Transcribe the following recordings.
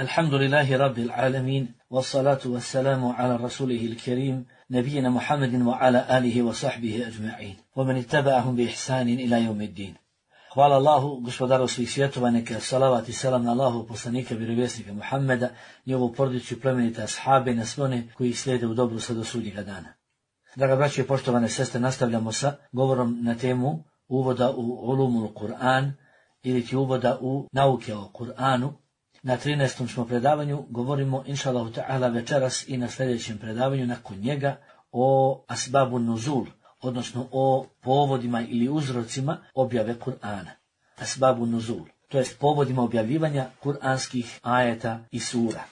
Alhamdulillahi Rabbil Alamin, wassalatu wassalamu ala rasulihi il-kerim, nabijina Muhammedin wa ala alihi wa sahbihi ajma'in, wa man ittaba'ahum bi ihsanin ila yawmiddin. Hvala Allahu, gospodaru svih svjetova, neka salavat i selam na Allahu, poslanika, vjerovjesnika Muhammeda, njegovu porodicu i plemenite ashabe, na sve one koji slijede u dobru sve do sudnjega dana. Draga braćo i poštovane sestre, nastavljamo sa govorom na temu uvoda u ulumul Kur'an ili ti uvoda u nauke o Kur'anu. Na 13. smo predavanju, govorimo inša Allahu ta'ala večeras i na sljedećem predavanju nakon njega o asbabu nuzul, odnosno o povodima ili uzrocima objave Kur'ana. Asbabu nuzul, to jest povodima objavljivanja kur'anskih ajeta i sura.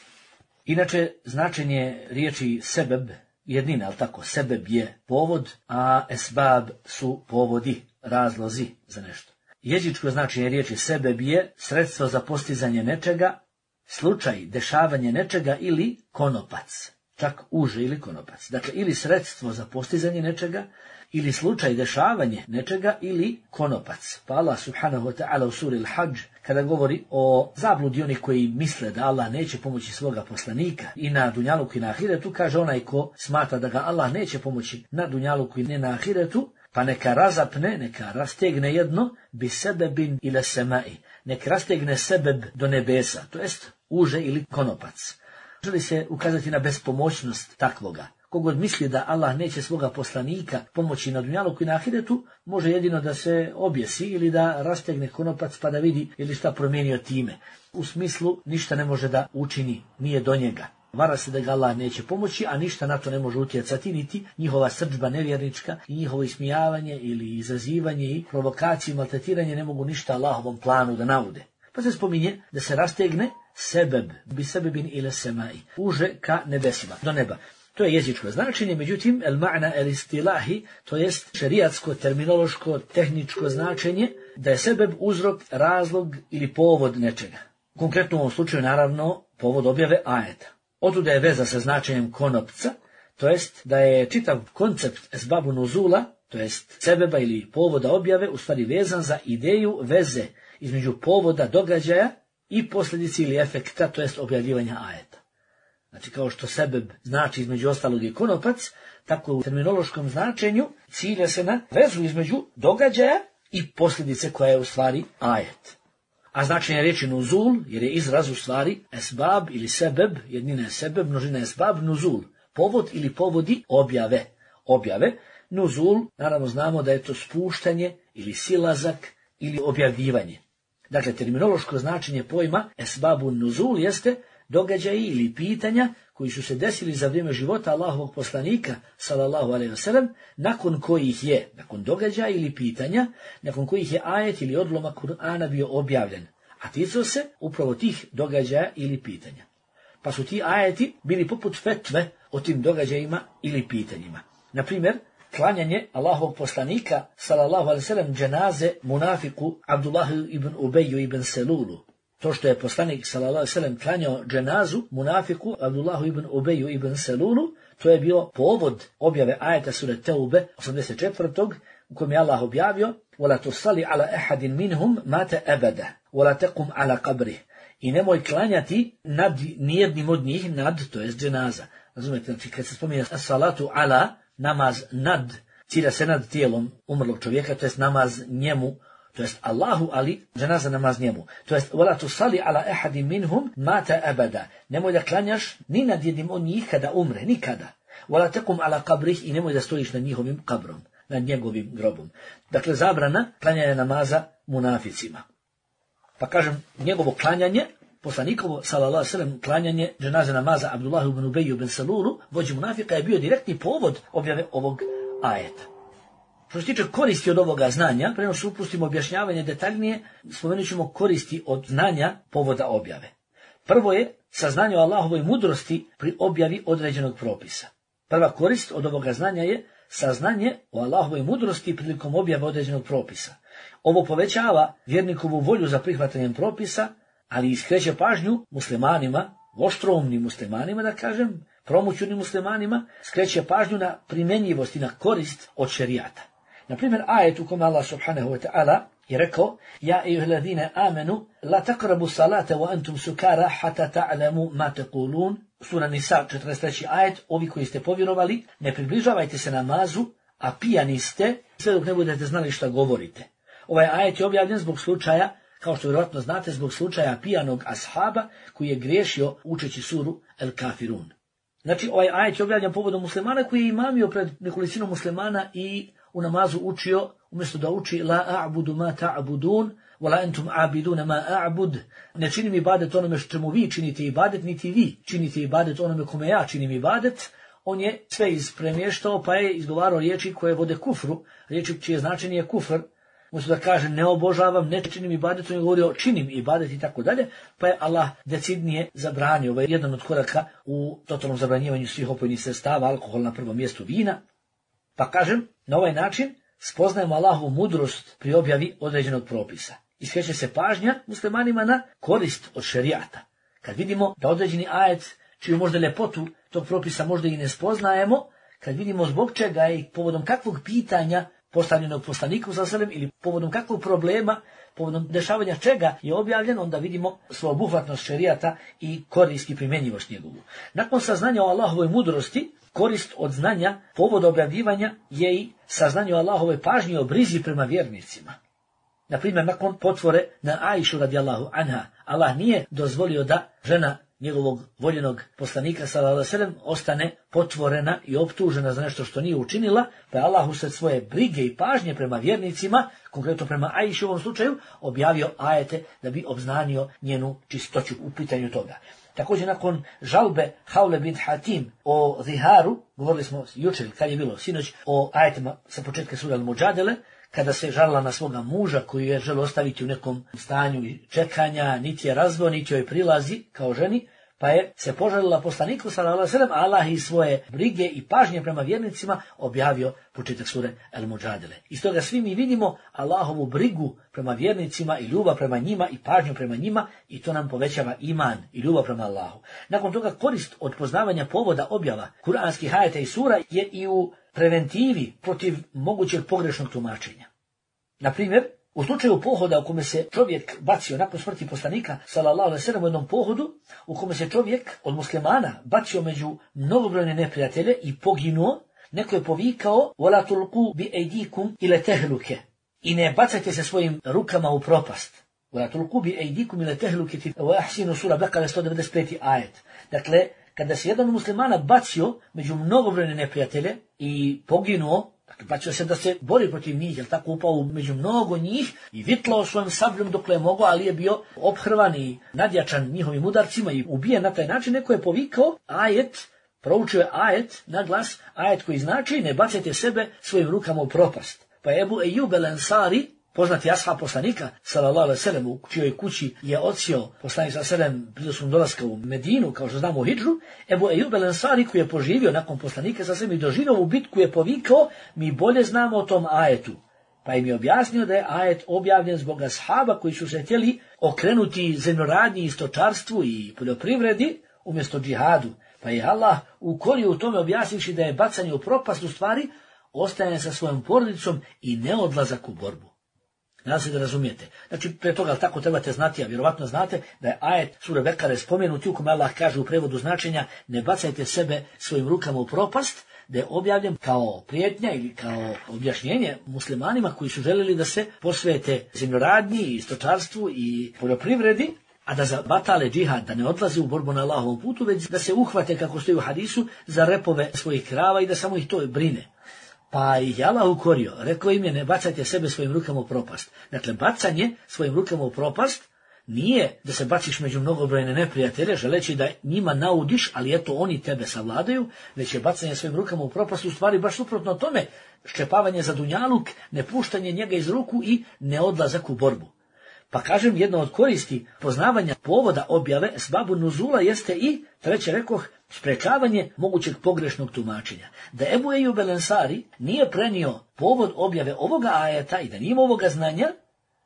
Inače, značenje riječi sebeb, jednina, ali tako, sebeb je povod, a esbab su povodi, razlozi za nešto. Jezičko značenje riječi sebeb je sredstvo za postizanje nečega, slučaj, dešavanje nečega ili konopac, čak uže ili konopac. Dakle, ili sredstvo za postizanje nečega, ili slučaj, dešavanje nečega ili konopac. Pa Allah subhanahu wa ta'ala u suri Al-Hajj, kada govori o zabludi onih koji misle da Allah neće pomoći svoga poslanika i na dunjaluku i na ahiretu, kaže onaj ko smatra da ga Allah neće pomoći na dunjaluku i ne na ahiretu, pa neka razapne, neka rastegne jedno bi sebebin ila semai, neka rastegne sebeb do nebesa, to jest uže ili konopac. Želi se ukazati na bespomoćnost takvoga. Kogod misli da Allah neće svoga poslanika pomoći na dunjaluku i na ahiretu, može jedino da se objesi ili da rastegne konopac pa da vidi ili šta promijenio time. U smislu ništa ne može da učini, nije do njega. Vara se da ga Allah neće pomoći, a ništa na to ne može utjecati, niti njihova srdžba nevjernička i njihovo ismijavanje ili izazivanje i provokacije i maltretiranje ne mogu ništa Allahovom planu da naude. Pa se spominje da se rastegne sebeb, bi sebebin ila semai, uže ka nebesima, do neba. To je jezičko značenje, međutim, el ma'na el istilahi, to jest šerijatsko, terminološko, tehničko značenje, da je sebeb uzrok, razlog ili povod nečega. Konkretno u ovom slučaju, naravno, povod objave ajeta. Otuda je veza sa značenjem konopca, to jest da je čitav koncept esbabu nuzula, to jest sebeba ili povoda objave, u stvari vezan za ideju veze između povoda događaja i posljedici ili efekta, to jest objavljivanja ajeta. Znači, kao što sebeb znači između ostalog i konopac, tako u terminološkom značenju cilja se na vezu između događaja i posljedice koja je u stvari ajet. A značenje riječi nuzul, jer je izraz u stvari esbab ili sebeb, jednina je sebeb, množina je esbab, nuzul, povod ili povodi objave. Nuzul, naravno znamo da je to spuštanje ili silazak ili objavljivanje. Dakle, terminološko značenje pojma esbabu nuzul jeste događaji ili pitanja koji su se desili za vrijeme života Allahovog poslanika, sallallahu alejhi ve sellem, nakon događaja ili pitanja, nakon kojih je ajet ili odlomak Kur'ana bio objavljen, a ticao se upravo tih događaja ili pitanja. Pa su ti ajeti bili poput fetve o tim događajima ili pitanjima. Na primjer, klanjanje Allahovog poslanika, sallallahu alejhi ve sellem, dženaze munafiku Abdullahu ibn Ubeju ibn Selulu. To što je poslanik sallallahu alejhi ve sellem klanjao dženazu munafiku Abdullahu ibn Ubeju ibn Selulu, to je bio povod objave ajeta sure Teube 84. u kojem je Allah objavio: "Wala tusalli ala ahadin minhum mata abada, wala taqum ala qabrih." I nemoj klanjati nad nijednim od njih, to jest dženaza. Razumete, znači kad se spominje salatu ala, namaz nad, cilja se nad tijelom umrlog čovjeka, to jest namaz njemu, to jest Allahu, ali dženaza namaz njemu. To jest wala tusalli ala ahadin minhum mata abada. Nemoj da klanjaš ni nad jednim od njih kada umre, nikada. Wala taqum ala qabrih, i nemoj da stojiš nad njihovim kabrom, nad njegovim grobom. Dakle, zabrana klanjanja namaza munaficima. Pa kažem, njegovo klanjanje, poslanikovo, sallallahu alejhi ve sellem, klanjanje dženaze namaza Abdullahu ibn Ubeju ibn Selulu, vođi munafika, je bio direktni povod objave ovog ajeta. Što se tiče koristi od ovoga znanja, prema što upustimo objašnjavanje detaljnije, spomenut ćemo koristi od znanja povoda objave. Prvo je saznanje o Allahovoj mudrosti pri objavi određenog propisa. Prva korist od ovoga znanja je saznanje o Allahovoj mudrosti prilikom objave određenog propisa. Ovo povećava vjernikovu volju za prihvatanjem propisa, ali skreće pažnju muslimanima, oštroumnim muslimanima, da kažem, promućunim muslimanima, skreće pažnju na primjenjivost i na korist od šerijata. Na primjer, ajet u kome Allah subhanahu wa ta'ala je rekao: Ja ejuheladine amenu, la takrabu salate wa antum sukara hata ta'lamu ma taqulun. Sura Nisa 43. ajet, ovi koji ste povjerovali, ne približavajte se namazu, a pijani ste, sve dok ne budete znali šta govorite. Ovaj ajet je objavljen zbog slučaja, kao što vjerojatno znate, zbog slučaja pijanog ashaba koji je griješio učeći suru El Kafirun. Znači, ovaj ajet je objavljen povodom muslimana koji je imamio pred nekolicinu muslimana i u namazu učio, umjesto da uči la a'budu ma ta'budun, wala entum a'biduna ma a'bud, ne činim ibadet onome čemu vi činite ibadet, niti vi činite ibadet onome kome ja činim ibadet, on je sve ispremještao pa je izgovarao riječi koje vode kufru, riječi čije značenje je kufr, umjesto da kaže ne obožavam, ne činim ibadet, on je govorio činim ibadet i tako dalje, pa je Allah decidnije zabranio. Ovo je jedan od koraka u totalnom zabranjivanju svih opojnih sredstava, alkohol na prvom mjestu, vina. Pa kažem, na ovaj način spoznajemo Allahovu mudrost pri objavi određenog propisa. I skreće se pažnja muslimanima na korist od šerijata. Kad vidimo da određeni ajet, čiju možda ljepotu tog propisa možda i ne spoznajemo, kad vidimo zbog čega je i povodom kakvog pitanja postavljenog poslaniku sa selem ili povodom kakvog problema, povodom dešavanja čega je objavljen, onda vidimo sveobuhvatnost šerijata i korist i primjenjivost njegovu. Nakon saznanja o Allahovoj mudrosti, korist od znanja, povod objavljivanja je i saznanje o Allahove pažnji o brizi prema vjernicima. Naprimjer, nakon potvore na Aishu radijallahu anha, Allah nije dozvolio da žena njegovog voljenog poslanika sallallahu alejhi ve sellem ostane potvorena i optužena za nešto što nije učinila, pa je Allah usred svoje brige i pažnje prema vjernicima, konkretno prema Aiši u ovom slučaju, objavio ajete da bi obznanio njenu čistoću u pitanju toga. Također nakon žalbe Haule bint Hatim o ziharu, govorili smo jučer, kad je bilo sinoć, o ajetima sa početka sure Al-Mujadele, kada se žalila na svoga muža koji je želio ostaviti u nekom stanju čekanja, niti je razveo, niti joj prilazi kao ženi, pa je se požalila poslaniku sallallahu alejhi ve sellem, Allah iz svoje brige i pažnje prema vjernicima objavio početak sure Al-Mujadele. Iz toga svi mi vidimo Allahovu brigu prema vjernicima i ljubav prema njima i pažnju prema njima, i to nam povećava iman i ljubav prema Allahu. Nakon toga korist od poznavanja povoda objava kuranskih ajeta i sura je i u preventivi protiv mogućeg pogrešnog tumačenja. Na primjer, u slučaju pohoda u kome se čovjek bacio nakon smrti poslanika sallallahu alejhi ve sellem u jednom pohodu, u kome se čovjek od muslimana bacio među mnogobrojne neprijatelje i poginuo, neko je povikao wala tulqu bi aydikum ila tahluke, i ne bacajte se svojim rukama u propast. Wala tulqu bi aydikum ila tahluke wa ahsinu, sura Bekara 195. ajet. Dakle, kada se jedan muslimana bacio među mnogobrojne neprijatelje i poginuo, dakle, bacio se da se bori protiv njih, jer tako upao među mnogo njih i vitlao svojim sabljom dokle je mogao, ali je bio ophrvan i nadjačan njihovim udarcima i ubijen na taj način. Neko je povikao ajet, proučio je ajet na glas, ajet koji znači ne bacajte sebe svojim rukama u propast. Pa je Ebu Ejub el Ensari, poznati ashab poslanika sallallahu alejhi ve sellem, u čijoj kući je odsio poslanik sallallahu alejhi ve sellem prilikom dolaska u Medinu, kao što znamo u hidžru, Ebu Ejub el Ensari, koji je poživio nakon poslanika sallallahu alejhi ve sellem i doživio u bitku, je povikao, mi bolje znamo o tom ajetu. Pa im je objasnio da je ajet objavljen zbog ashaba koji su se htjeli okrenuti zemljoradnji i stočarstvu i poljoprivredi umjesto džihadu. Pa je Allah ukorio u tome, objasnivši da je bacanje u propast u stvari ostajanje sa svojom porodicom i neodlazak u borbu. Nadam se da razumijete. Znači, pre toga tako trebate znati, a vjerovatno znate da je ajet sure Bekare spomenuti u kome Allah kaže u prevodu značenja ne bacajte sebe svojim rukama u propast, da je objavljen kao prijetnja ili kao objašnjenje muslimanima koji su željeli da se posvete zemljoradnji i stočarstvu i poljoprivredi, a da zabatale džihad, da ne odlaze u borbu na Allahovom putu, već da se uhvate, kako stoji u hadisu, za repove svojih krava i da samo ih to brine. Pa ih je Allah ukorio, rekao im je ne bacajte sebe svojim rukama u propast. Dakle, bacanje svojim rukama u propast nije da se baciš među mnogobrojne neprijatelje, želeći da njima naudiš, ali eto oni tebe savladaju, već je bacanje svojim rukama u propast u stvari baš suprotno tome, ščepavanje za dunjaluk, nepuštanje njega iz ruku i neodlazak u borbu. Pa kažem, jedna od koristi poznavanja povoda objave esbabu nuzula jeste i, treće rekoh, sprečavanje mogućeg pogrešnog tumačenja. Da Ebu Ejub el Ensari nije prenio povod objave ovoga ajeta i da nije ovoga znanja,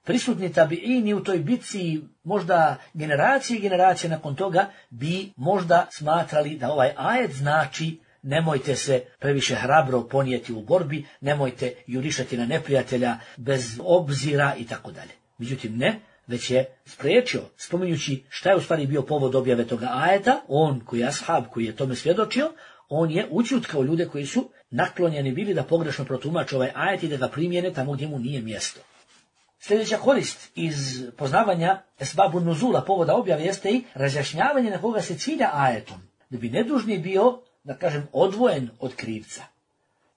prisutni tabiini u toj bitci, možda generacije i generacije nakon toga, bi možda smatrali da ovaj ajet znači nemojte se previše hrabro ponijeti u borbi, nemojte jurišati na neprijatelja bez obzira i tako dalje. Međutim ne, već je spriječio, spominjući šta je u stvari bio povod objave toga ajeta, on koji je ashab, koji je tome svjedočio, on je ućutkao ljude koji su naklonjeni bili da pogrešno protumače ovaj ajet i da ga primjene tamo gdje mu nije mjesto. Sljedeća korist iz poznavanja esbabu nuzula, povoda objave, jeste i razjašnjavanje na koga se cilja ajetom, da bi nedužni bio, da kažem, odvojen od krivca.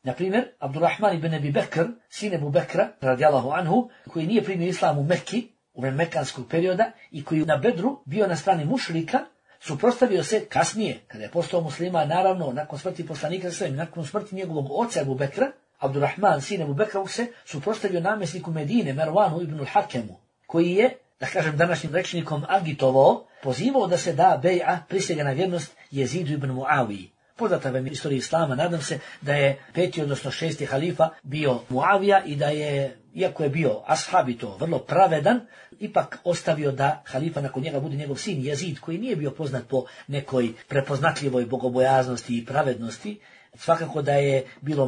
Na primjer, Abdurrahman ibn Abi Bekr, sin Ebu Bekra, radijallahu anhu, koji nije primio islam u Mekki, u vreme mekanskog perioda, i koji na Bedru bio na strani mušrika, suprotstavio se kasnije, kada je postao musliman, naravno, nakon smrti poslanika sallallahu, nakon smrti njegovog oca Ebu Bekra, Abdurrahman, sin Ebu Bekra, se suprotstavio namjesniku Medine, Mervanu ibn al-Hakemu, koji je, da kažem današnjim rečnikom, agitovao, pozivao da se da bej'a, prisega na vjernost Jezidu ibn Muaviji. Poznata vam istorija islama, nadam se da je 5. odnosno 6. halifa bio Muavija i da je, iako je bio ashab i to vrlo pravedan, ipak ostavio da halifa nakon njega bude njegov sin Jezid, koji nije bio poznat po nekoj prepoznatljivoj bogobojaznosti i pravednosti. Svakako da je bilo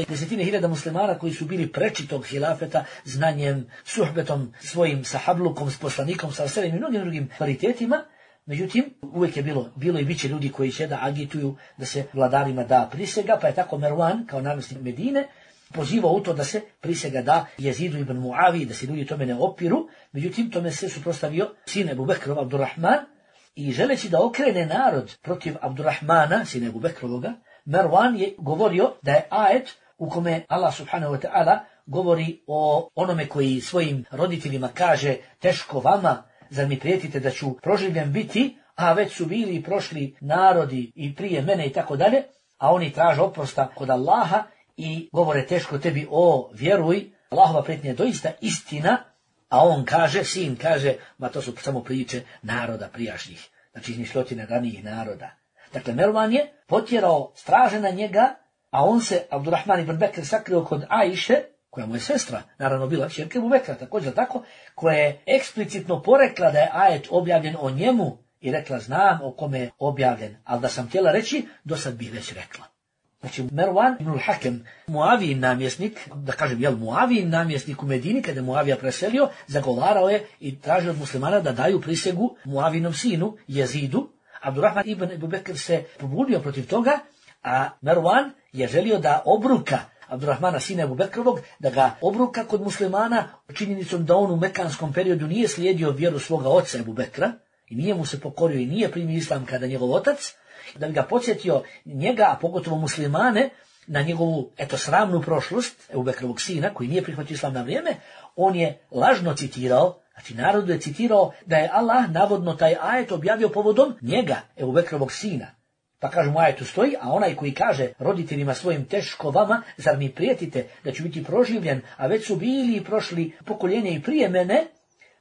desetine hiljada muslimana koji su bili preči tog hilafeta znanjem, suhbetom, svojim sahablukom, s poslanikom, sa selim i mnogim drugim kvalitetima. Međutim, uvijek je bilo i bit će ljudi koji će da agituju da se vladarima da prisega, pa je tako Mervan, kao namjesnik Medine, pozivao u to da se prisega da Jezidu ibn Muavi, da se ljudi tome ne opiru. Međutim, tome se suprotstavio sin Ebu Bekrov, Abdurrahman, i želeći da okrene narod protiv Abdurrahmana, sin Ebu Bekrovoga, Mervan je govorio da je ajet u kome Allah subhanahu wa ta'ala govori o onome koji svojim roditeljima kaže teško vama, zar mi prijetite da ću proživljen biti, a već su bili i prošli narodi i prije mene i tako dalje, a oni traže oprosta kod Allaha i govore teško tebi, o vjeruj, Allahova prijetnja je doista istina, a on kaže, sin kaže, ma to su samo priče naroda prijašnjih, znači izmišljotine ranijih naroda. Dakle, Mervan je potjerao straže na njega, a on se, Abdurrahman ibn Bekr, sakrio kod Ajše, koja mu je sestra, naravno bila kćerka Ebu Bekra, također tako, koja je eksplicitno porekla da je ajet objavljen o njemu i rekla, znam o kome je objavljen, ali da sam htjela reći, do sad bih već rekla. Znači, Mervan ibn al-Hakem, Muavijin namjesnik, da kažem, Muavijin namjesnik u Medini, kada je Muavija preselio, zagovarao je i tražio od muslimana da daju prisegu Muavinom sinu, Jezidu. Abdurrahman ibn Ebu Bekr se pobunio protiv toga, a Mervan je želio da obruka Abdurrahmana sina Ebu Bekrovog, da ga obruka kod muslimana činjenicom da on u mekanskom periodu nije slijedio vjeru svoga oca Ebu Bekra i nije mu se pokorio i nije primio islam kada njegov otac, da bi ga podsjetio njega, a pogotovo muslimane, na njegovu sramnu prošlost Ebu Bekrovog sina koji nije prihvatio islam na vrijeme. On je lažno citirao, znači narodu je citirao da je Allah navodno taj ajet objavio povodom njega, Ebu Bekrovog sina. Pa kaže mu ajetu stoji, a onaj koji kaže roditeljima svojim teško vama, zar mi prijetite da ću biti proživljen, a već su bili i prošli pokoljenje i prije mene,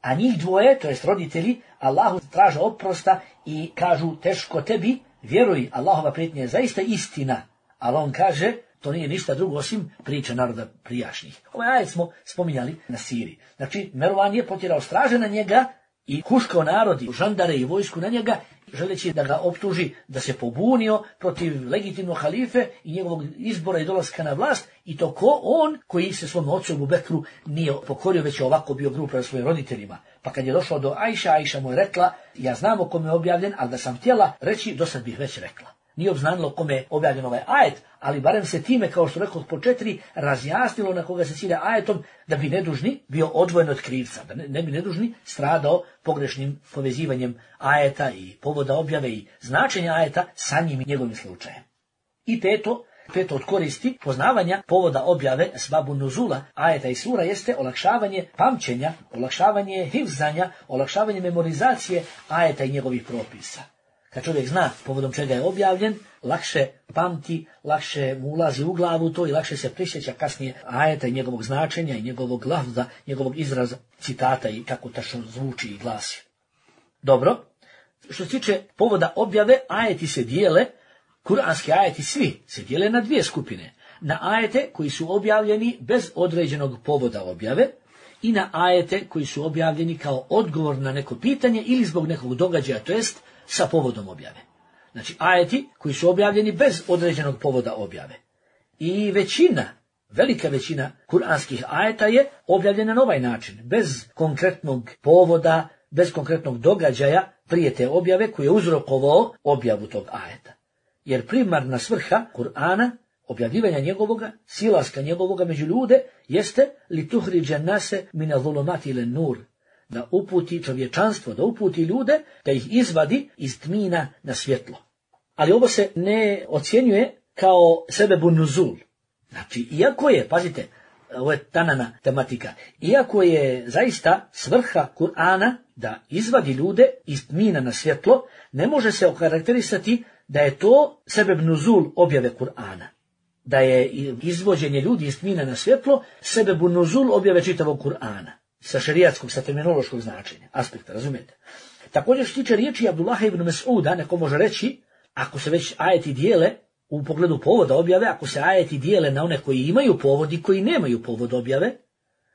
a njih dvoje, to jest roditelji, Allahu traže oprosta i kažu teško tebi, vjeruj, Allahova prijetnja je zaista istina, ali on kaže, to nije ništa drugo osim priča naroda prijašnjih. Ovaj ajet smo spominjali na Siriji. Znači, Mervan je potjerao straže na njega i huškao narod i žandare i vojsku na njega, želeći da ga optuži da se pobunio protiv legitimnog halife i njegovog izbora i dolaska na vlast, i to ko on koji se svom ocu Ebu Bekru nije pokorio, već je ovako bio grub prema svojim roditeljima. Pa kad je došao do Ajša mu je rekla, ja znam o kome je objavljen, ali da sam htjela reći, do sad bih već rekla. Nije obznanilo kome je objavljen ovaj ajet, ali barem se time, kao što rekao po 4, razjasnilo na koga se cilja ajetom, da bi nedužni bio odvojen od krivca, da ne bi nedužni stradao pogrešnim povezivanjem ajeta i povoda objave i značenja ajeta sa njim i njegovim slučajem. I peto od koristi poznavanja povoda objave esbabu nuzula ajeta i sura jeste olakšavanje pamćenja, olakšavanje hifzanja, olakšavanje memorizacije ajeta i njegovih propisa. Kad čovjek zna povodom čega je objavljen, lakše pamti, lakše mu ulazi u glavu to i lakše se prisjeća kasnije ajeta i njegovog značenja i njegovog lafza, njegovog izraza, citata i kako tačno zvuči i glasi. Dobro, što se tiče povoda objave, ajeti se dijele, kuranski ajeti svi se dijele na 2 skupine. Na ajete koji su objavljeni bez određenog povoda objave i na ajete koji su objavljeni kao odgovor na neko pitanje ili zbog nekog događaja, to jest sa povodom objave. Znači ajeti koji su objavljeni bez određenog povoda objave. I većina, velika većina kuranskih ajeta je objavljena na ovaj način, bez konkretnog povoda, bez konkretnog događaja prije te objave koji je uzrokovao objavu tog ajeta. Jer primarna svrha Kur'ana, objavljivanja njegovoga, silaska njegovoga među ljude, jeste li tuhriđa nase mine zulumati ile nur, da uputi čovječanstvo, da uputi ljude, da ih izvadi iz tmina na svjetlo. Ali ovo se ne ocjenjuje kao sebebun nuzul. Znači, iako je, pazite, ovo je tanana tematika, iako je zaista svrha Kur'ana da izvadi ljude iz tmina na svjetlo, ne može se okarakterisati da je to sebeb nuzul objave Kur'ana. Da je izvođenje ljudi iz tmina na svjetlo sebebun nuzul objave čitavog Kur'ana. Sa šerijatskog, sa terminološkog značenja, aspekta, razumijete? Također što tiče riječi Abdullaha ibn Mas'uda, neko može reći, ako se već ajeti dijele u pogledu povoda objave, ako se ajeti dijele na one koji imaju povod i koji nemaju povod objave,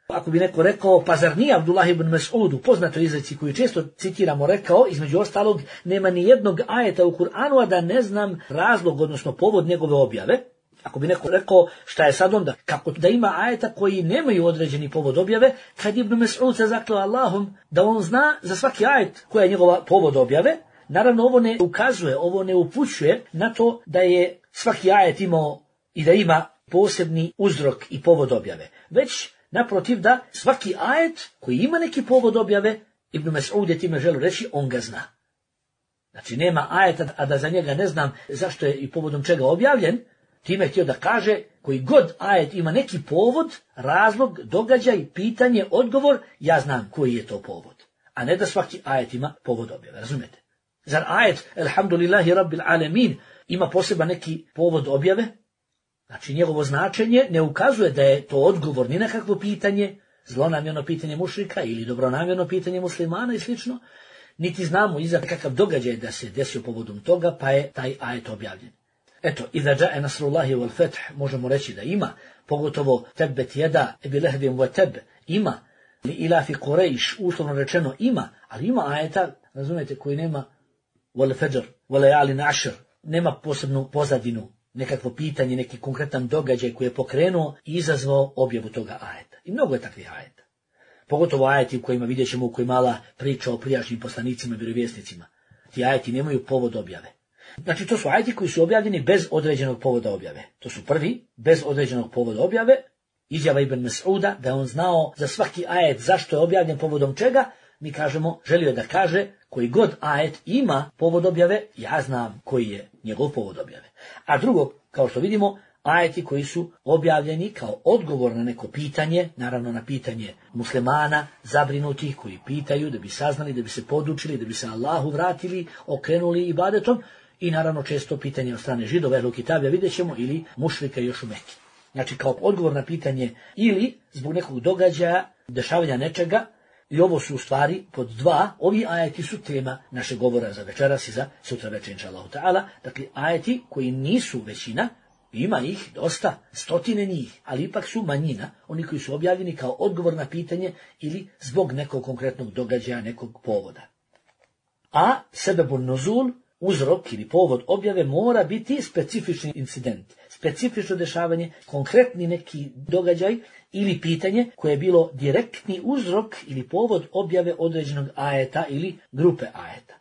ako bi neko rekao, pa zar nije Abdullah ibn Mas'ud u poznatoj izreci koju često citiramo rekao, između ostalog, nema ni jednog ajeta u Kur'anu, a da ne znam razlog, odnosno povod njegove objave. Ako bi neko rekao šta je sad onda, kako da ima ajeta koji nemaju određeni povod objave, kad Ibn Mas'ud se zakleo Allahom da on zna za svaki ajet koja je njegova povod objave, naravno ovo ne ukazuje, ovo ne upućuje na to da je svaki ajet imao i da ima posebni uzrok i povod objave, već naprotiv da svaki ajet koji ima neki povod objave, Ibn Mas'ud je time želio reći, on ga zna. Znači nema ajeta, a da za njega ne znam zašto je i povodom čega objavljen. Time je htio da kaže, koji god ajet ima neki povod, razlog, događaj, pitanje, odgovor, ja znam koji je to povod. A ne da svaki ajet ima povod objave, razumijete? Zar ajet, elhamdulillahi rabbil alemin, ima poseban neki povod objave? Znači njegovo značenje ne ukazuje da je to odgovor ni na kakvo pitanje, zlonamjerno pitanje mušrika ili dobronamjerno pitanje muslimana i slično, niti znamo iza kakav događaj da se desio povodom toga, pa je taj ajet objavljen. Eto, iza džae nasrullahi wal fath, možemo reći da ima, pogotovo tebet jeda ebi lehbim wa teb, ima, li ilafi Quraysh, uslovno rečeno ima, ali ima ajeta, razumijete, koji nema wal fajr, wal layalin ashr, nema posebnu pozadinu, nekakvo pitanje, neki konkretan događaj koji je pokrenuo i izazvao objavu toga ajeta. I mnogo je takvih ajeta. Pogotovo ajeti u kojima vidjet ćemo, u kojima Allah priča o prijašnjim poslanicima i vjerovjesnicima. Ti ajeti nemaju povod objave. Znači to su ajeti koji su objavljeni bez određenog povoda objave. To su prvi, bez određenog povoda objave, izjava Ibn Mas'uda da je on znao za svaki ajet zašto je objavljen povodom čega, mi kažemo, želio je da kaže, koji god ajet ima povod objave, ja znam koji je njegov povod objave. A drugo, kao što vidimo, ajeti koji su objavljeni kao odgovor na neko pitanje, naravno na pitanje muslimana, zabrinutih koji pitaju da bi saznali, da bi se podučili, da bi se Allahu vratili, okrenuli ibadetom, i naravno često pitanje od strane Židova, Ehlul Kitabija, vidjet ćemo, ili mušrika još u Meki. Znači kao odgovor na pitanje ili zbog nekog događaja, dešavanja nečega, i ovo su u stvari pod dva, ovi ajeti su tema našeg govora za večeras i za sutra večer, inšallahu ta'ala. Dakle, ajeti koji nisu većina, ima ih dosta, stotine njih, ali ipak su manjina, oni koji su objavljeni kao odgovor na pitanje ili zbog nekog konkretnog događaja, nekog povoda. A sebebun nuzul, uzrok ili povod objave mora biti specifični incident, specifično dešavanje, konkretni neki događaj ili pitanje koje je bilo direktni uzrok ili povod objave određenog ajeta ili grupe ajeta.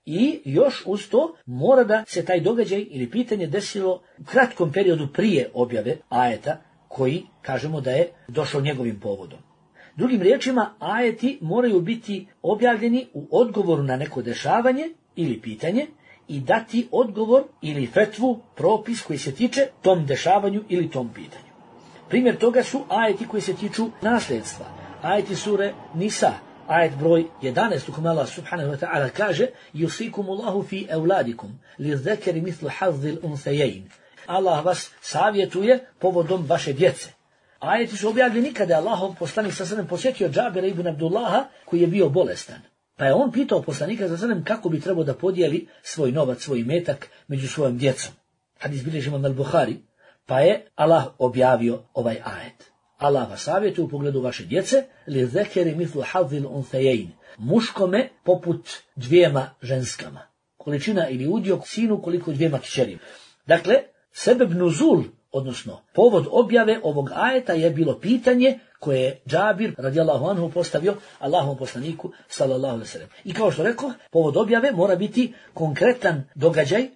I još uz to mora da se taj događaj ili pitanje desilo u kratkom periodu prije objave ajeta koji kažemo da je došao njegovim povodom. Drugim riječima, ajeti moraju biti objavljeni u odgovoru na neko dešavanje ili pitanje i dati odgovor ili fetvu, propis koji se tiče tom dešavanju ili tom pitanju. Primjer toga su ajeti koji se tiču nasljedstva. Ajeti sure Nisa, ajet broj 11 u kome Allah subhanahu wa ta'ala kaže Yusikumullahu fi evladikum, li zekeri mislu hazzil unsejein. Allah vas savjetuje povodom vaše djece. Ajeti su objavljeni kada je Allahov poslanik sa sredem posjetio Džabira ibn Abdullaha koji je bio bolestan. Pa je on pitao poslanika sa sredem kako bi trebao da podijeli svoj novac, svoj metak među svojom djecom. Hadis bilježi imam al-Buhari, pa je Allah objavio ovaj ajet. Allah vas savjetuje u pogledu vaše djece, li zekeri mislu hazzil unsejein, muškome poput dvijema ženskama. količina ili udio sinu koliko dvijema kćerima. Dakle, sebeb nuzul, odnosno povod objave ovog ajeta je bilo pitanje koje je Džabir radijallahu anhu postavio Allahovom poslaniku sallallahu alejhi ve sellem. I kao što rekao, povod objave mora biti konkretan događaj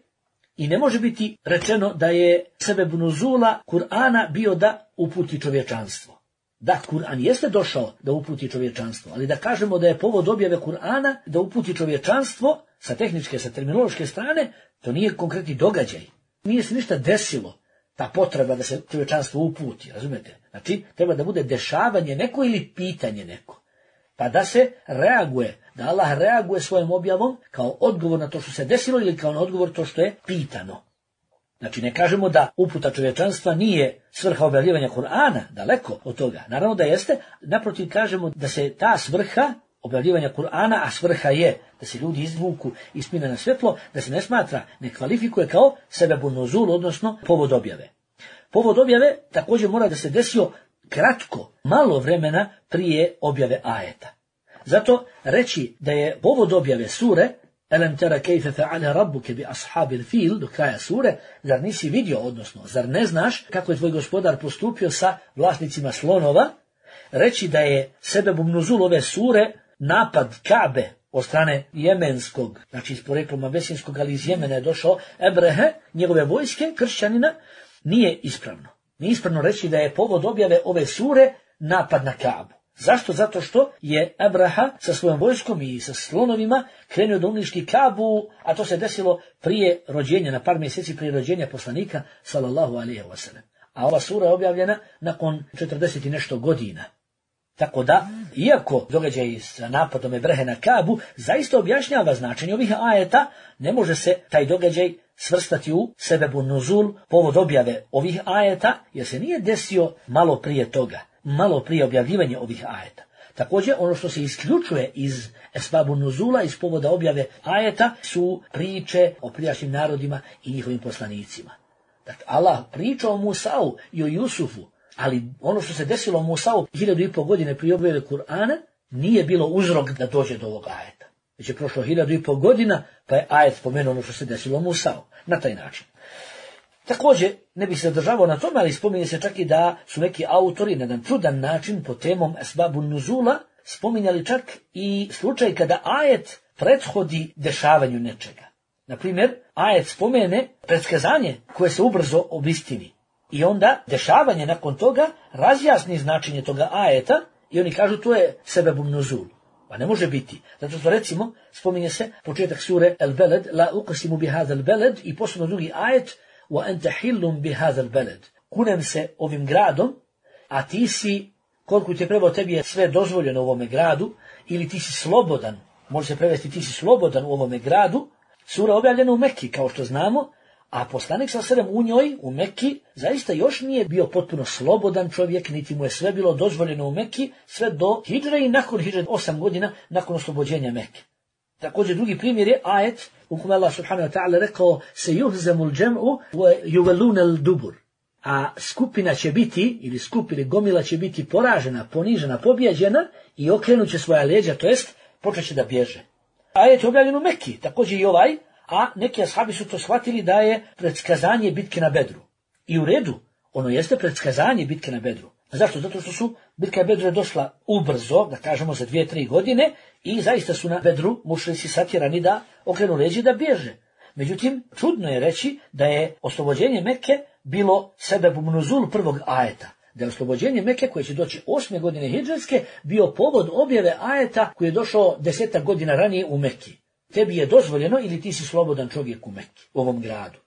i ne može biti rečeno da je sebeb nuzula Kur'ana bio da uputi čovječanstvo. Da, Kur'an jeste došao da uputi čovječanstvo, ali da kažemo da je povod objave Kur'ana da uputi čovječanstvo sa tehničke, sa terminološke strane, to nije konkretni događaj. Nije se ništa desilo, ta potreba da se čovječanstvo uputi, razumijete? Znači, treba da bude dešavanje neko ili pitanje neko. Pa da se reaguje, da Allah reaguje svojom objavom kao odgovor na to što se desilo ili kao na odgovor to što je pitano. Znači, ne kažemo da uputa čovječanstva nije svrha objavljivanja Kur'ana, daleko od toga. Naravno da jeste, naprotiv kažemo da se ta svrha objavljivanja Kur'ana, a svrha je da se ljudi izvuku iz tmine na svjetlo, da se ne smatra, ne kvalifikuje kao sebebun nuzul, odnosno povod objave. Povod objave također mora da se desio kratko, malo vremena prije objave ajeta. Zato reći da je povod objave sure Elem tera kejfe fe'ale rabbuke bi ashabil fil, do kraja sure, zar nisi vidio, odnosno, zar ne znaš kako je tvoj gospodar postupio sa vlasnicima slonova, reći da je sebebum nuzul ove sure napad Kabe od strane jemenskog, znači iz poreklom abesinskog, ali iz Jemena je došao Ebrehe, njegove vojske, kršćanina, nije ispravno. Nije ispravno reći da je povod objave ove sure napad na Kabu. Zašto? Zato što je Abraha sa svojom vojskom i sa slonovima krenuo da uništi Kabu, a to se desilo prije rođenja, na par mjeseci prije rođenja poslanika, sallallahu alejhi ve sellem. A ova sura je objavljena nakon 40 i nešto godina. Tako da, iako događaj sa napadom Ebrehe na Kabu zaista objašnjava značenje ovih ajeta, ne može se taj događaj svrstati u sebebu nuzul, povod objave ovih ajeta, jer se nije desio malo prije toga, malo prije objavljivanja ovih ajeta. Također, ono što se isključuje iz esbabu nuzula, iz povoda objave ajeta, su priče o prijašnjim narodima i njihovim poslanicima. Dakle, Allah priča o Musau i o Jusufu, ali ono što se desilo Musau 1500 godine prije objave Kur'ana nije bilo uzrok da dođe do ovog ajeta. Već je prošlo 1500 godina, pa je ajet spomenuo ono što se desilo Musau. Na taj način. Također, ne bih se zadržavao na tome, ali spominje se čak i da su neki autori na jedan čudan način po temom esbabu nuzula spominjali čak i slučaj kada ajet prethodi dešavanju nečega. Naprimjer, ajet spomene predskazanje koje se ubrzo obistini. I onda dešavanje nakon toga razjasni značenje toga ajeta i oni kažu to je sebebum nuzul. Pa ne može biti. Zato što recimo spominje se početak sure El Beled, la uqsimu bi hadha beled i posebno drugi ajet wa anta hillum bi hadha beled. Kunem se ovim gradom, a ti si, koliko te prebo tebi je sve dozvoljeno u ovome gradu, ili ti si slobodan, može se prevesti ti si slobodan u ovome gradu. Sura objavljena u Mekki, kao što znamo, a poslanik s.a.v. u njoj, u Mekki, zaista još nije bio potpuno slobodan čovjek, niti mu je sve bilo dozvoljeno u Mekki, sve do hidžre i nakon hidžre 8 godina nakon oslobođenja Mekke. Također drugi primjer je ajet u kome Allah subhanahu wa ta'ala rekao se yuhzamul džem'u wa yuwallunal dubur. A skupina će biti, ili skupina gomila će biti poražena, ponižena, pobjeđena i okrenut će svoja leđa, to jest počet će da bježe. Ajet je objavljen u Mekki, također i ovaj, a neki ashabi su to shvatili da je predskazanje bitke na Bedru. I u redu, ono jeste predskazanje bitke na Bedru. Zašto? Zato što su bitka Bedru je došla ubrzo, da kažemo za 2-3 godine, i zaista su na Bedru mušrici satjerani da okrenu leđa da bježe. Međutim, čudno je reći da je oslobođenje Mekke bilo sebebum nuzul prvog ajeta. Da je oslobođenje Mekke koje će doći 8. godine hidžretske bio povod objave ajeta koji je došao 10 godina ranije u Mekki. Tebi je dozvoljeno ili ti si slobodan čovjek u Mekki, u ovom gradu.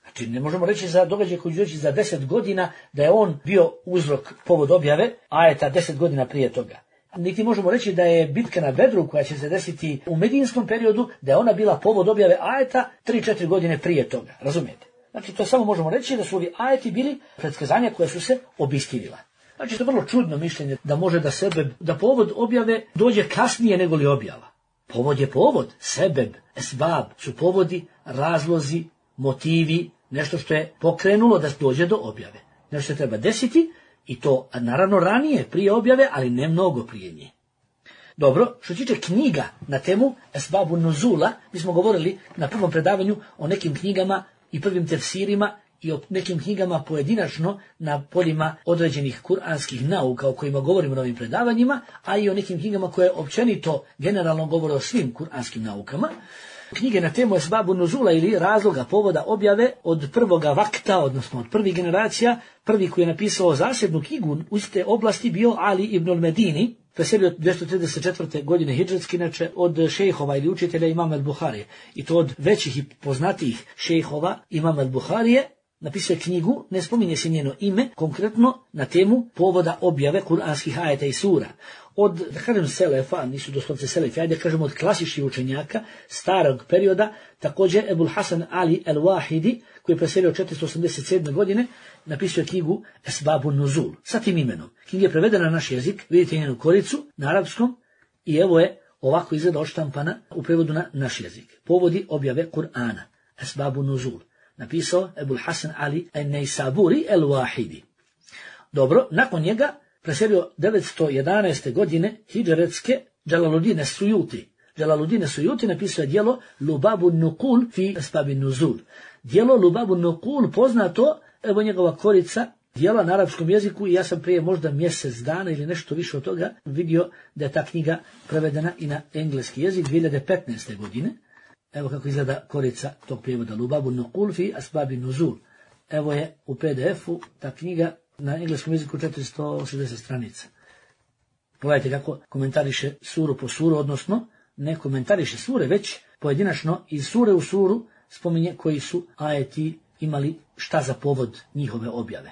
Znači, ne možemo reći za događaj koji će doći za 10 godina da je on bio uzrok povod objave ajeta 10 godina prije toga. Niti možemo reći da je bitka na Bedru koja će se desiti u medijinskom periodu, da je ona bila povod objave ajeta 3-4 godine prije toga. Razumijete? Znači, to samo možemo reći da su ovi ajeti bili predskazanja koja su se obistinila. Znači, to je vrlo čudno mišljenje da može da povod objave dođe kasnije nego li objava. Povod je povod, sebeb, esbab su povodi, razlozi, motivi, nešto što je pokrenulo da dođe do objave. Nešto se treba desiti i to naravno ranije, prije objave, ali ne mnogo prije nje. Dobro, što tiče knjiga na temu Esbabu Nuzula, mi smo govorili na prvom predavanju o nekim knjigama i prvim tefsirima i o nekim knjigama pojedinačno na poljima određenih kuranskih nauka o kojima govorimo na ovim predavanjima, a i o nekim knjigama koje općenito generalno govore o svim kuranskim naukama. Knjige na temu Esbabu Nuzula ili razloga povoda objave od prvoga vakta, odnosno od prvih generacija, prvi koji je napisao zasebnu knjigu u iste oblasti bio Ali ibn al-Medini, preselio od 234. godine hidžretski, inače od šejhova ili učitelja Imama al-Buharije. I to od većih i poznatijih šejhova Imama al-Buharije. Napisao je knjigu, ne spominje se njeno ime, konkretno na temu povoda objave kuranskih ajeta i sura. Od, da kažem, selefa, nisu doslovce selefi, ajde kažemo od klasičnih učenjaka starog perioda, također Ebul Hasan Ali el-Wahidi, koji je preselio 487. godine, napisao je knjigu Esbabu Nuzul, sa tim imenom. Knjiga je prevedena na naš jezik, vidite njenu koricu na arapskom, i evo je ovako izgleda odštampana u prevodu na naš jezik. Povodi objave Kur'ana, Esbabu Nuzul. Napisao Ebul Hasan Ali el-Neisaburi el-Wahidi. Dobro, nakon njega preselio 911. godine hidžretske Džalaluddin es-Sujuti. Džalaluddin es-Sujuti napisao je djelo Lubabu Nukul fi Esbabi Nuzul. Djelo Lubabu Nukul poznato, evo njegova korica, djela na arapskom jeziku, i ja sam prije možda mjesec dana ili nešto više od toga vidio da je ta knjiga prevedena i na engleski jezik 2015. godine. Evo kako izgleda korica tog prijevoda Lubabu Nukul fi Esbabi Nuzul. Evo je u PDF-u ta knjiga na engleskom jeziku 460 stranica. Pogledajte kako komentariše suru po suru, odnosno ne komentariše sure, već pojedinačno iz sure u suru spominje koji su ajeti imali šta za povod njihove objave.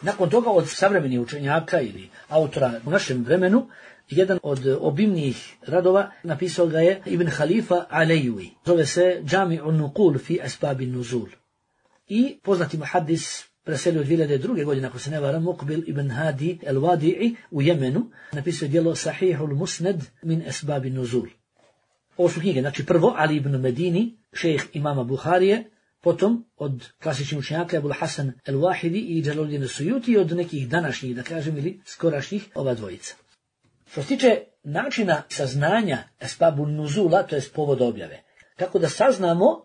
Nakon toga od savremenih učenjaka ili autora u našem vremenu, jedan od obimnijih radova napisao ga je Ibn Halifa Alejui. Zove se Džami'un Nukul fi Esbabi Nuzul. I poznati muhaddis preselio 2002. godine, ako se ne varam, Muqbil ibn Hadi el-Wadi'i u Jemenu, napisao djelo Sahihul Musnad min Esbabi Nuzul. Ovo su knjige, znači prvo Ali ibn Medini, šejh imama Buharije, potom od klasičnih učenjaka Ebul Hasan el-Wahidi i Džalaluddin es-Sujuti i od nekih današnjih, da kažem, ili skorašnjih ova dvojica. Što se tiče načina saznanja Esbabu Nuzula, to je povod objave, kako da saznamo,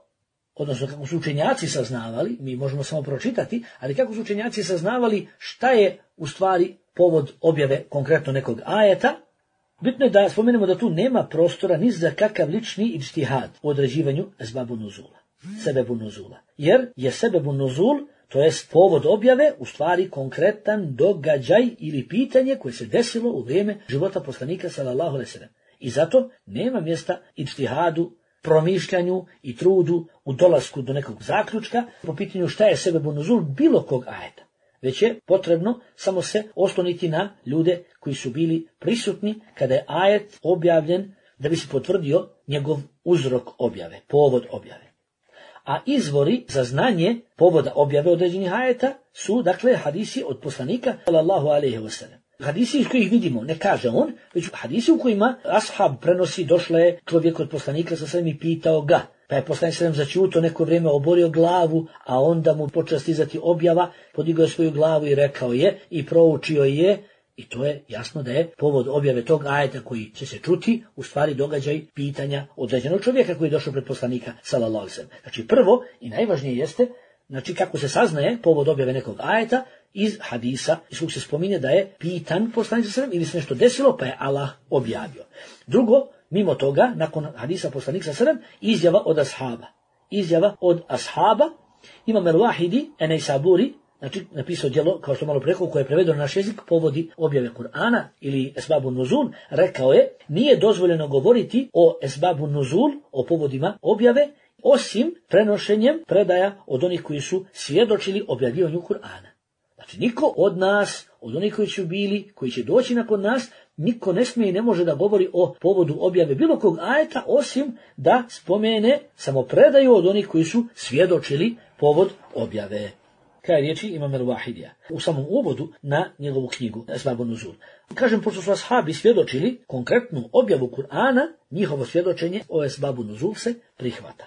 odnosno kako su učenjaci saznavali, mi možemo samo pročitati, ali kako su učenjaci saznavali šta je u stvari povod objave konkretno nekog ajeta, bitno je da spomenemo da tu nema prostora ni za kakav lični ijtihad u određivanju Esbabu Nuzula, sebebu nuzula. Jer je sebebu nuzul, to jest povod objave, u stvari konkretan događaj ili pitanje koje se desilo u vrijeme života poslanika sallallahu alejhi ve sellem. I zato nema mjesta ijtihadu, promišljanju i trudu u dolasku do nekog zaključka po pitanju šta je sebebu nuzul bilo kog ajeta. Već je potrebno samo se osloniti na ljude koji su bili prisutni kada je ajet objavljen da bi se potvrdio njegov uzrok objave, povod objave. A izvori za znanje povoda objave određenih ajeta su, dakle, hadisi od poslanika sallallahu alejhi ve sellem. Hadisi iz kojih vidimo, ne kaže on, već hadisi u kojima ashab prenosi, došla je čovjek od poslanika sa svem i pitao ga. Pa je poslanik sallam začuto neko vrijeme, oborio glavu, a onda mu počela stizati objava, podigao svoju glavu i rekao je i proučio je. I to je jasno da je povod objave tog ajeta koji će se čuti u stvari događaj pitanja određenog čovjeka koji je došao pred poslanika sallallahu alejhi ve sellem. Znači prvo i najvažnije jeste, znači kako se saznaje povod objave nekog ajeta iz hadisa, iz kojeg se spominje da je pitan poslanik sallallahu alejhi ve sellem ili se nešto desilo pa je Allah objavio. Drugo, mimo toga, nakon hadisa poslanika sallallahu alejhi ve sellem, izjava od ashaba. Izjava od ashaba, Imam el-Wahidi en-Neisaburi, znači napisao djelo, kao što malo rekao, koje je prevedeno na naš jezik, povodi objave Kur'ana ili Esbabu Nuzul, rekao je, nije dozvoljeno govoriti o Esbabu Nuzul, o povodima objave, osim prenošenjem predaja od onih koji su svjedočili objavljivanju Kur'ana. Znači niko od nas, od onih koji su bili, koji će doći nakon nas, niko ne smije i ne može da govori o povodu objave bilo kog ajeta, osim da spomene samo predaju od onih koji su svjedočili povod objave. Kaj riječi Imam el-Wahidija u samom uvodu na njegovu knjigu Esbabu Nuzul. Kažem, pošto su ashabi svjedočili konkretnu objavu Kur'ana, njihovo svjedočenje o Esbabu Nuzul se prihvata.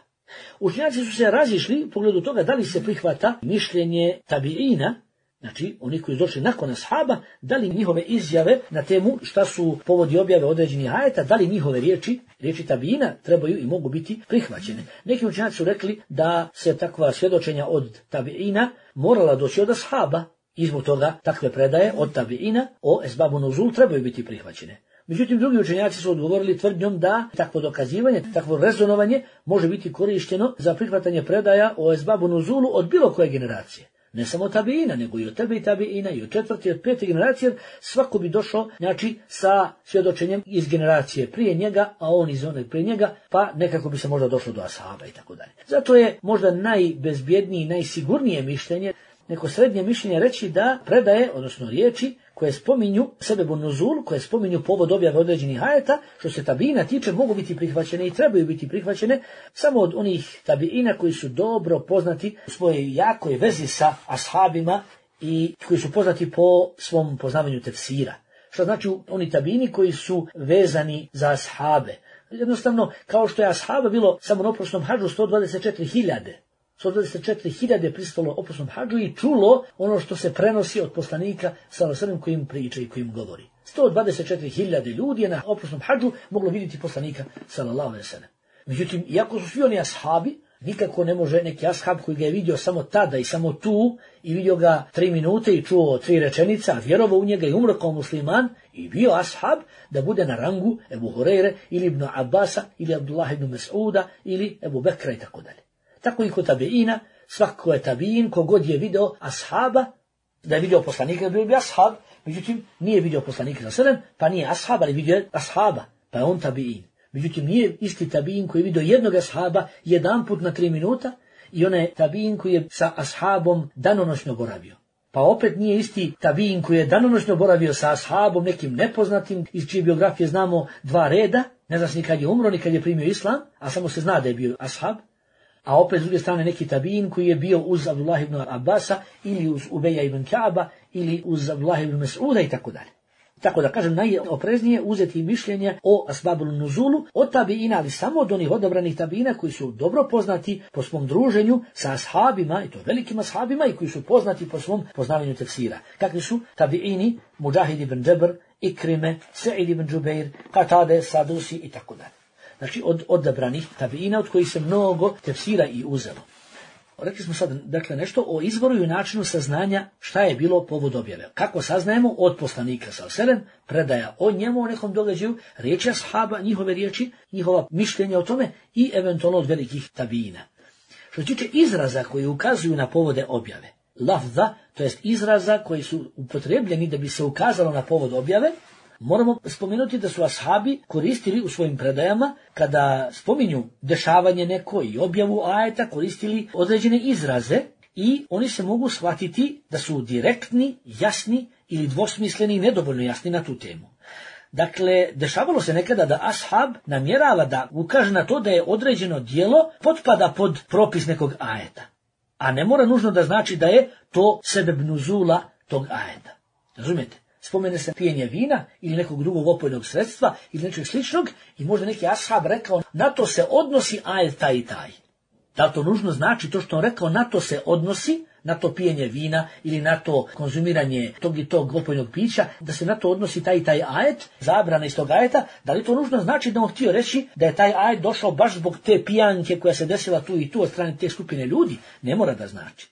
Učenjaci su se razišli u pogledu toga da li se prihvata mišljenje tabiina, Znači, oni koji su došli nakon ashaba, da li njihove izjave na temu šta su povodi objave određenih ajeta, da li njihove riječi tabina trebaju i mogu biti prihvaćene. Neki učenjaci su rekli da se takva svjedočenja od tabiina morala doći od ashaba i zbog toga takve predaje od tabiina o esbabu nuzul trebaju biti prihvaćene. Međutim, drugi učenjaci su odgovorili tvrdnjom da takvo dokazivanje, takvo rezonovanje može biti korišteno za prihvatanje predaja o esbabu nuzulu od bilo koje generacije. Ne samo tabiina, nego i od tebe i tabiina, i od četvrte i od pete generacije, jer svako bi došao, znači, sa svjedočenjem iz generacije prije njega, a on iz one prije njega, pa nekako bi se možda došlo do ashaba i tako dalje. Zato je možda najbezbjednije, najsigurnije mišljenje, neko srednje mišljenje reći da predaje, odnosno riječi, koje spominju sebebu nuzul, koje spominju povod objave određenih ajeta, što se tabiina tiče, mogu biti prihvaćene i trebaju biti prihvaćene samo od onih tabiina koji su dobro poznati u svojoj jakoj vezi sa ashabima i koji su poznati po svom poznavanju tefsira. Što znači oni tabiini koji su vezani za ashabe. Jednostavno, kao što je ashaba bilo samo na oprosnom hadžu 124.000. 124.000 pristalo oprosnom hadžu i čulo ono što se prenosi od poslanika sallallahu alejhi koji im priča i koji im govori. 124.000 ljudi je na oprosnom hadžu moglo vidjeti poslanika sallallahu alejhi ve sellem. Međutim, iako su svi oni ashabi, nikako ne može neki ashab koji ga je vidio samo tada i samo tu i vidio ga 3 minute i čuo 3 rečenice, a vjerovao u njega i umro kao musliman i bio ashab, da bude na rangu Ebu Hureyre ili Ibn Abbasa ili Abdullah ibn Mas'uda ili Ebu Bekra i tako dalje. Tako i kod tabiina, svako je tabiin, kogod je video ashaba, da je vidio poslanika, bio bi ashab, međutim nije vidio poslanika sallallahu alejhi ve sellem, pa nije ashab, ali vidio je ashaba, pa je on tabiin. Međutim nije isti tabiin koji je vidio jednog ashaba jedanput na 3 minuta i onaj tabiin koji je sa ashabom danonoćno boravio. Pa opet nije isti tabiin koji je danonoćno boravio sa ashabom, nekim nepoznatim, iz čije biografije znamo 2 reda, ne zna se ni kad je umro, ni kad je primio islam, a samo se zna da je bio ashab. A opet s druge strane neki tabiin koji je bio uz Abdullah ibn Abbasa ili uz Ubeja ibn Ka'ba ili uz Abdullah ibn Mas'uda i tako dalje. Tako da kažem, najopreznije uzeti mišljenje o asbabul nuzulu od tabiina, ali samo od onih odabranih tabiina koji su dobro poznati po svom druženju sa ashabima, i to velikim ashabima, i koji su poznati po svom poznavanju tefsira. Kakvi su tabiini, Mujahid ibn Džabr, Ikrime, Sa'id ibn Džubeir, Katade, Sadusi i tako dalje. Znači od odabranih tabiina od kojih se mnogo tefsira i uzelo. Rekli smo sad dakle nešto o izvoru i načinu saznanja šta je bilo povod objave. Kako saznajemo? Od poslanika sallallahu alejhi ve sellem, predaja o njemu, o nekom događaju, riječi ashaba, njihove riječi, njihova mišljenja o tome i eventualno od velikih tabiina. Što se tiče izraza koji ukazuju na povode objave, lafza, to jest izraza koji su upotrebljeni da bi se ukazalo na povod objave, moramo spomenuti da su ashabi koristili u svojim predajama, kada spominju dešavanje neko i objavu ajeta, koristili određene izraze i oni se mogu shvatiti da su direktni, jasni ili dvosmisleni i nedovoljno jasni na tu temu. Dakle, dešavalo se nekada da ashab namjerava da ukaže na to da je određeno djelo potpada pod propis nekog ajeta, a ne mora nužno da znači da je to sebeb nuzula tog ajeta. Razumijete? Spomene se pijenje vina ili nekog drugog opojnog sredstva ili nečeg sličnog i možda neki ashab rekao na to se odnosi ajet taj i taj. Da to nužno znači to što on rekao na to se odnosi, na to pijenje vina ili na to konzumiranje tog i tog opojnog pića, da se na to odnosi taj i taj ajet, zabrana iz tog ajeta, da li to nužno znači da on htio reći da je taj ajet došao baš zbog te pijanke koja se desila tu i tu od strane te skupine ljudi? Ne mora da znači.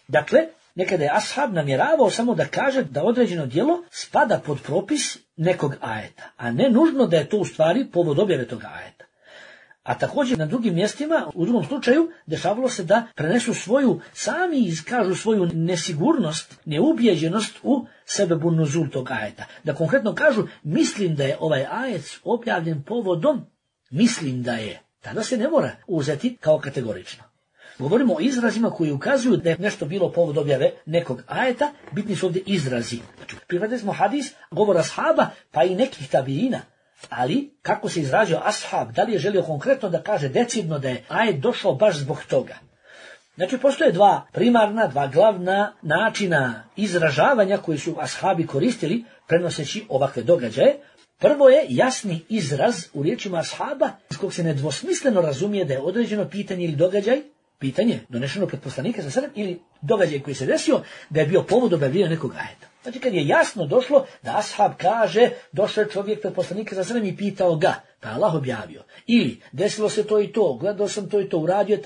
Dakle, nekada je ashab namjeravao samo da kaže da određeno djelo spada pod propis nekog ajeta, a ne nužno da je to u stvari povod objave toga ajeta. A također na drugim mjestima, u drugom slučaju, dešavalo se da prenesu sami iskažu svoju nesigurnost, neubijeđenost u sebebu nuzul tog ajeta. Da konkretno kažu, mislim da je ovaj ajet objavljen povodom, mislim da je. Tada se ne mora uzeti kao kategorično. Govorimo o izrazima koji ukazuju da je nešto bilo povod objave nekog ajeta, bitni su ovdje izrazi. Znači, prihvatili smo hadis, govor ashaba, pa i nekih tabiina. Ali, kako se izrazio ashab, da li je želio konkretno da kaže decidno da je ajet došao baš zbog toga? Znači, postoje 2 primarna, 2 glavna načina izražavanja koji su ashabi koristili prenoseći ovakve događaje. Prvo je jasni izraz u riječima ashaba iz kog se nedvosmisleno razumije da je određeno pitanje ili događaj pitanje donešeno pred poslanika sa sredem ili događaj koji se desio da je bio povod objavljivanja nekog ajeta. Znači kad je jasno došlo da ashab kaže došao je čovjek pred poslanika sa sredem i pitao ga, pa Allah objavio. Ili desilo se to i to, gledao sam to i to, uradio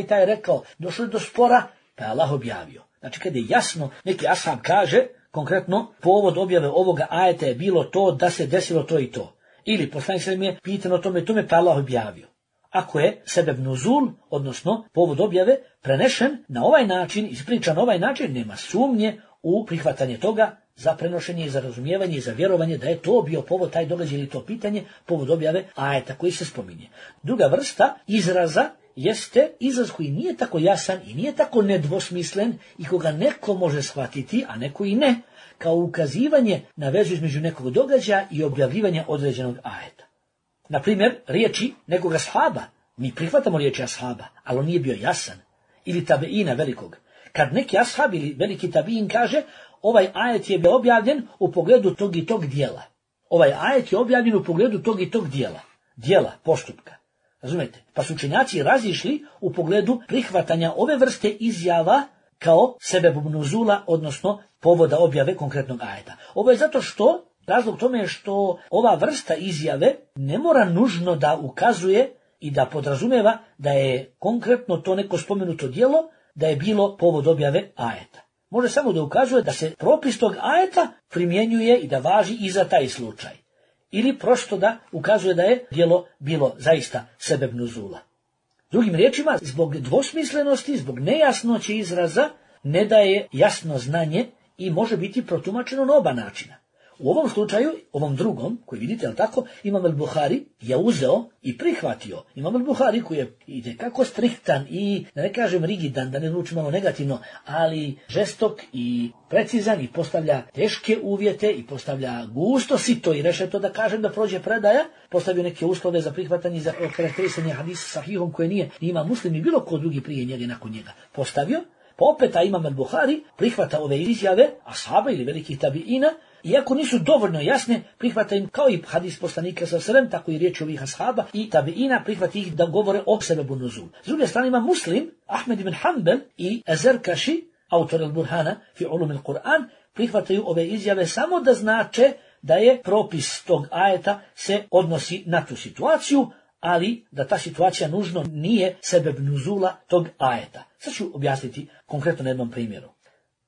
taj rekao, došlo je do spora, pa Allah objavio. Znači kad je jasno, neki ashab kaže, konkretno povod objave ovoga ajeta je bilo to da se desilo to i to. Ili poslanik sallallahu alejhi ve sellem je pitano tome, pa Allah objavio. Ako je sebeb nuzul, odnosno povod objave, prenešen na ovaj način, ispričan na ovaj način, nema sumnje u prihvatanje toga za prenošenje i za razumijevanje i za vjerovanje da je to bio povod, taj događaj ili to pitanje, povod objave ajeta koji se spominje. Druga vrsta izraza jeste izraz koji nije tako jasan i nije tako nedvosmislen i koga neko može shvatiti, a neko i ne, kao ukazivanje na vezu između nekog događaja i objavljivanja određenog ajeta. Na primjer, riječi nekoga ashaba. Mi prihvatamo riječi ashaba, ali on nije bio jasan. Ili tabeina velikog. Kad neki ashab ili veliki tabein kaže, ovaj ajet je bio objavljen u pogledu tog i tog dijela. Ovaj ajet je objavljen u pogledu tog i tog dijela. Dijela, postupka. Razumete? Pa su učenjaci razišli u pogledu prihvatanja ove vrste izjava kao sebebub nuzula, odnosno povoda objave konkretnog ajeta. Ovo je zato što, razlog tome je što ova vrsta izjave ne mora nužno da ukazuje i da podrazumeva da je konkretno to neko spomenuto djelo, da je bilo povod objave ajeta. Može samo da ukazuje da se propis tog ajeta primjenjuje i da važi i za taj slučaj. Ili prosto da ukazuje da je djelo bilo zaista sebeb nuzula. Drugim riječima, zbog dvosmislenosti, zbog nejasnoće izraza, ne daje jasno znanje i može biti protumačeno na oba načina. U ovom slučaju, ovom drugom, koji vidite, ali tako, Imam al-Buhari je uzeo i prihvatio. Imam al-Buhari koji je itekako striktan i, da ne kažem rigidan, da ne zvuči malo negativno, ali žestok i precizan i postavlja teške uvjete i postavlja gusto sito i rešeto da kažem da prođe predaja, postavio neke uslove za prihvatanje i za karakterisanje hadisa sahihom koje nije ima Muslim i bilo ko drugi prije njega i nakon njega postavio. Pa opet Imam al-Buhari prihvata ove izjave ashaba ili velikih tabiina, iako nisu dovoljno jasne, prihvata im kao i hadis poslanika sallallahu alejhi ve sellem, tako i riječi ovih ashaba i tabiina, prihvata ih da govore o sebebu nuzul. S druge strane ima Muslim, Ahmed ibn Hanbel i Azerkaši, autor al-Burhana fi ulum al-Quran, prihvataju ove izjave samo da znače da je propis tog ajeta se odnosi na tu situaciju, ali da ta situacija nužno nije sebeb nuzula tog ajeta. Sad ću objasniti konkretno na jednom primjeru.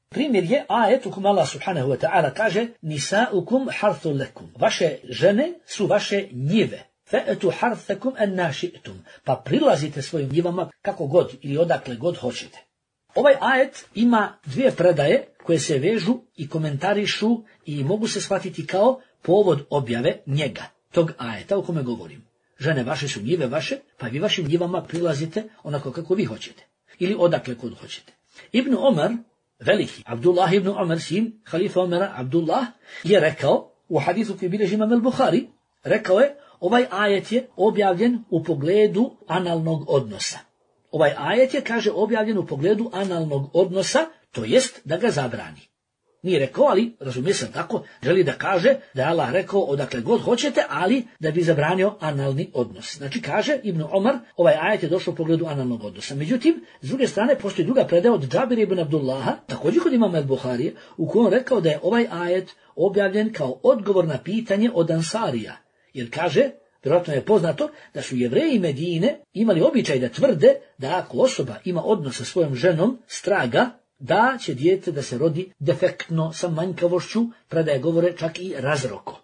Primjer je ajet u kojem Allah subhanahu wa ta'ala kaže nisaukum harthu lekum. Vaše žene su vaše njive. Fa'atu harthakum an nashi'tum. Pa prilazite svojim njivama kako god ili odakle god hoćete. Ovaj ajet ima dvije predaje koje se vežu i komentarišu i mogu se shvatiti kao povod objave njega, tog ajeta o kome govorim. Žene vaše su njive vaše, pa vi vašim njivama prilazite onako kako vi hoćete. Ili odakle god hoćete. Ibn Omar, veliki, Abdullah ibn Omar, sin halifa Omara, Abdullah, je rekao, u hadisu koji bilježi Imam al-Buhari, rekao je, ovaj ajet je objavljen u pogledu analnog odnosa. Ovaj ajet je, kaže, objavljen u pogledu analnog odnosa, to jest da ga zabrani. Nije rekao, ali razumije se tako, želi da kaže da je Allah rekao odakle god hoćete, ali da bi zabranio analni odnos. Znači kaže Ibn Omar, ovaj ajet je došao u pogledu analnog odnosa. Međutim, s druge strane, postoji druga predaja od Džabira ibn Abdullaha, također kod Imama al-Buharije, u kojem rekao da je ovaj ajet objavljen kao odgovor na pitanje od Ansarija. Jer kaže, vjerojatno je poznato da su Jevreji Medine imali običaj da tvrde da ako osoba ima odnos sa svojom ženom, straga, da će dijete da se rodi defektno sa manjkavošću, predaje govore čak i razroko.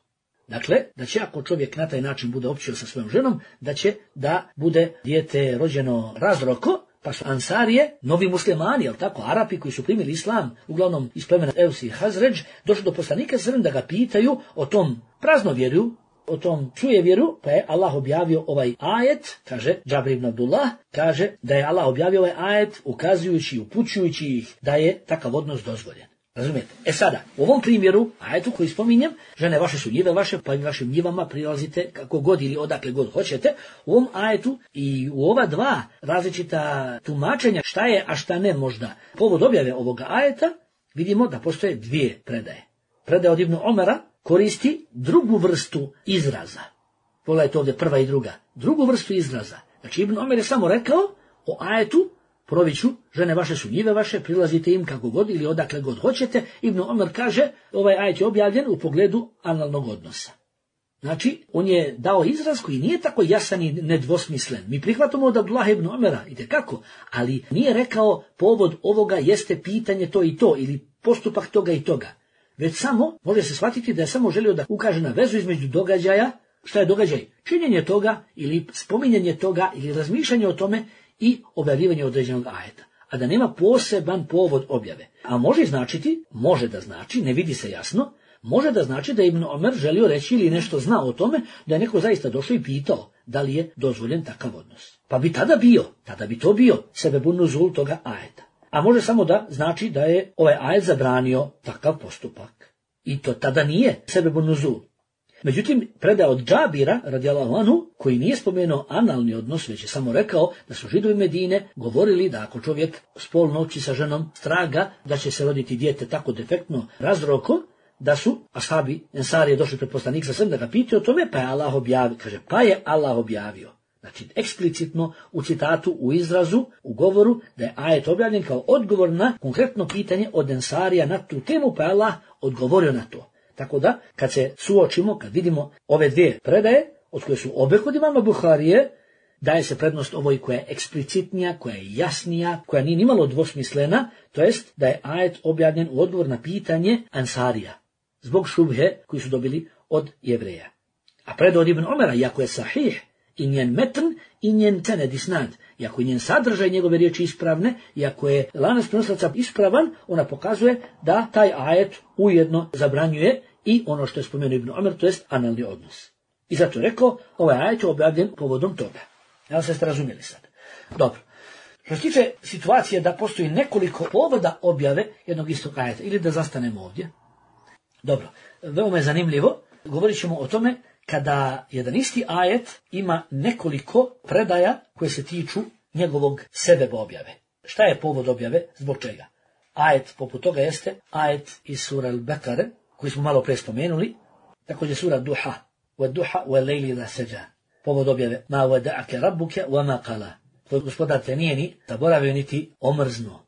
Dakle, da će ako čovjek na taj način bude općio sa svojom ženom, da će da bude dijete rođeno razroko, pa su Ansarije, novi muslimani, jel tako, Arapi koji su primili islam, uglavnom iz plemena Eus i Hazređ, došli do poslanika da ga pitaju o tom praznovjerju, o tom vjeru, pa je Allah objavio ovaj ajet, kaže Džabir ibn Abdullah, kaže da je Allah objavio ovaj ajet ukazujući i upućujući ih da je takav odnos dozvoljen. Razumijete? E sada, u ovom primjeru, ajetu koji spominjem, žene vaše su njive vaše, pa i vašim njivama prilazite kako god ili odakle god hoćete. U ovom ajetu i u ova dva različita tumačenja šta je, a šta ne možda povod objave ovoga ajeta, vidimo da postoje dvije predaje. Predaja od Ibn Omara koristi drugu vrstu izraza. Pogledajte ovdje prva i druga. Drugu vrstu izraza. Znači Ibn Omer je samo rekao o ajetu, Proviću, žene vaše su njive vaše, prilazite im kako god ili odakle god hoćete. Ibn Omer kaže, ovaj ajet je objavljen u pogledu analnog odnosa. Znači, on je dao izraz koji nije tako jasan i nedvosmislen. Mi prihvatamo od Abdullah ibn Omera, itekako, ali nije rekao povod ovoga jeste pitanje to i to ili postupak toga i toga. Već samo, može se shvatiti da je samo želio da ukaže na vezu između događaja. Šta je događaj? Činjenje toga ili spominjanje toga ili razmišljanje o tome i objavljivanje određenog ajeta. A da nema poseban povod objave. A može da znači, ne vidi se jasno, može da znači da je Ibn Omer želio reći ili nešto zna o tome, da je neko zaista došao i pitao da li je dozvoljen takav odnos. Pa bi tada bi to bio sebebun nuzul toga ajeta. A može samo da znači da je ovaj ajet zabranio takav postupak. I to tada nije sebebun nuzul. Međutim, predaja od Džabira, radijallahu anhu, koji nije spomenuo analni odnos, već je samo rekao da su Židovi Medine govorili da ako čovjek spolno noći sa ženom straga da će se roditi dijete tako defektno razrokom, da su ashabi Ensarije došli pred poslanik sa svem da ga pitaju o tome, pa je Allah objavio. Znači, eksplicitno u citatu, u izrazu, u govoru, da je ajet objavljen kao odgovor na konkretno pitanje od Ensarija na tu temu, pa je Allah odgovorio na to. Tako da, kad se suočimo, kad vidimo ove dvije predaje, od koje su obe kod imama Buharije, daje se prednost ovoj koja je eksplicitnija, koja je jasnija, koja nije nimalo dvosmislena, to jest da je ajet objavljen u odgovor na pitanje Ansarija, zbog šubhe koji su dobili od Jevreja. A predao od Ibn Omera, iako je sahih, i njen metn, i njen sened isnad, iako je njen sadržaj njegove riječi ispravne, iako je lanac prenoslaca ispravan, ona pokazuje da taj ajet ujedno zabranjuje i ono što je spomenuo Ibn Omer, to jest analni odnos. I zato je rekao, ovaj ajet je objavljen povodom toga. Evo se ste razumjeli sad. Dobro. Što se tiče situacije da postoji nekoliko povoda objave jednog istog ajeta, ili da zastanemo ovdje. Dobro, veoma je zanimljivo, govorit ćemo o tome kada jedan isti ajet ima nekoliko predaja koje se tiču njegovog sebeba objave. Šta je povod objave? Zbog čega? Ajet poput toga jeste ajet iz sura Al-Bekare, koji smo malo pre spomenuli, također sura Duha, wa duha wa lejli la seđa. Povod objave, ma wada'ake rabbuke wa ma qala. Tvoj gospodar te nije ni zaboravio niti omrznuo.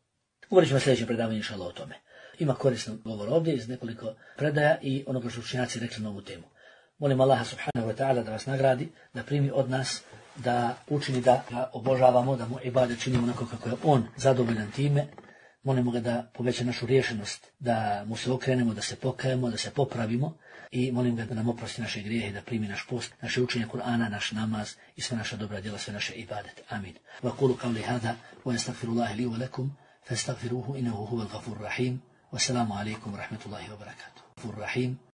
Govorit ćemo sljedeće predavanje inšallah o tome. Ima korisno govor ovdje iz nekoliko predaja i onoga što učenjaci rekli na ovu temu. Molim Allaha subhanahu wa ta'ala da vas nagradi, da primi od nas, da učini da ga obožavamo, da mu ibadet činimo onako kako je on zadovoljan time. Molimo ga da poveća našu riješenost, da mu se okrenemo, da se pokajemo, da se popravimo i molim ga da nam oprosti naše grijehe, da primi naš post, naše učenje Kur'ana, naš namaz i sve naša dobra djela, sve naše ibadet. Amin. Wa qulu qawli hada wa astaghfirullaha li wa lakum fastaghfiruhu innahu huwal ghafurur rahim. Wassalamu alaikum wa rahmatullahi wa barakatuh.